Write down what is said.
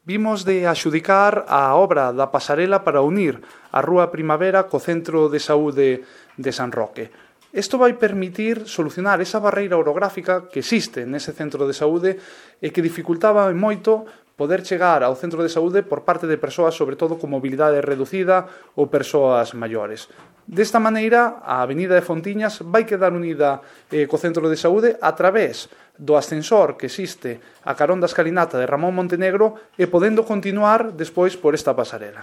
Vimos de adxudicar a obra da pasarela para unir a Rúa Primavera co Centro de Saúde de San Roque. Isto vai permitir solucionar esa barreira orográfica que existe nese centro de saúde e que dificultaba moito poder chegar ao centro de saúde por parte de persoas, sobre todo con mobilidade reducida ou persoas maiores. Desta maneira, a Avenida de Fontiñas vai quedar unida co centro de saúde a través do ascensor que existe a carón da escalinata de Ramón Montenegro e podendo continuar despois por esta pasarela.